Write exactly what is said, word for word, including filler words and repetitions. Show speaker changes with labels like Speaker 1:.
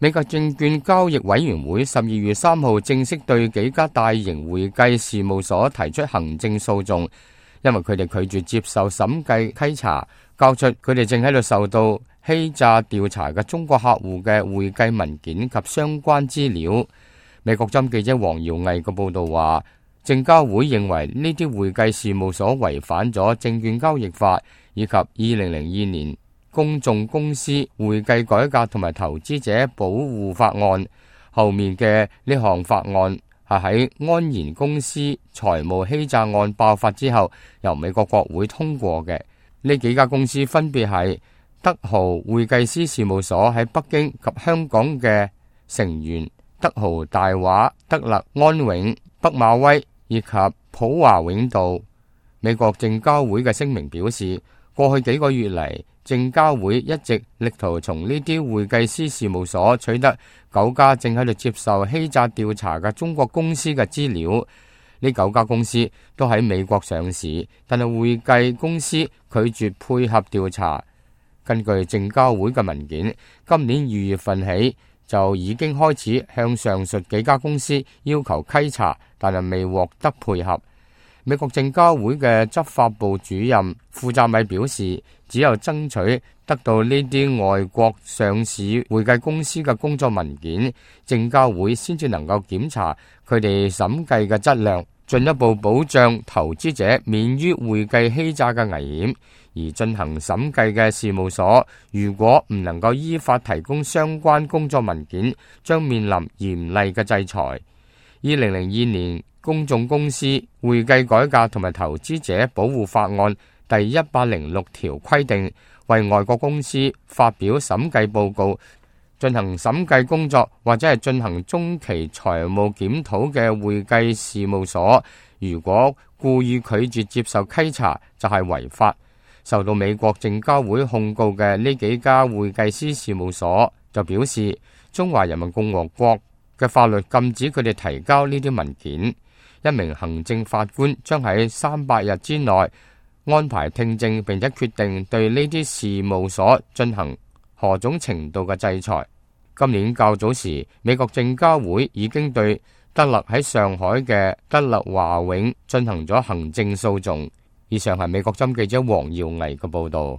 Speaker 1: 美國證券交易委員會十二月三號正式對幾家大型會計事務所提出行政訴訟，因為佢哋拒絕接受審計稽查，交出佢哋正喺度受到欺詐調查嘅中國客戶嘅會計文件及相關資料。美國針記者黃耀毅嘅報道話，證交會認為呢啲會計事務所違反咗證券交易法以及二零零二年公眾公司會計改革同埋投資者保護法案。後面嘅呢項法案係喺安然公司財務欺詐案爆發之後由美國國會通過嘅。呢幾家公司分別係德豪會計師事務所喺北京及香港嘅成員德豪大華、德勒安永、北馬威以及普華永道。美國證交會嘅聲明表示，過去幾個月嚟，證交會一直力圖從呢啲會計師事務所取得九家正喺度接受欺詐調查嘅中國公司嘅資料。呢九家公司都喺美國上市，但係會計公司拒絕配合調查。根據證交會嘅文件，今年二月份起就已經開始向上述幾家公司要求稽查，但係未獲得配合。美國證交會嘅執法部主任庫扎米表示，只有爭取得到呢啲外國上市會計公司嘅工作文件，證交會先至能夠檢查佢哋審計嘅質量，進一步保障投資者免於會計欺詐嘅危險。而進行審計嘅事務所，如果唔能夠依法提供相關工作文件，將面臨嚴厲嘅制裁。二零零二年公眾公司會計改革同埋投資者保護法案第一百零六條規定，為外國公司發表審計報告、進行審計工作或者係進行中期財務檢討嘅會計事務所，如果故意拒絕接受稽查，就係違法。受到美國證交會控告嘅呢幾家會計師事務所就表示，中華人民共和國嘅法律禁止佢哋提交呢啲文件。一名行政法官將喺三百日之內安排聽證，並且決定對呢啲事務所進行何種程度嘅制裁。今年較早時，美國證交會已經對德勒喺上海嘅德勒華永進行咗行政訴訟。以上係美國針記者黃耀毅嘅報道。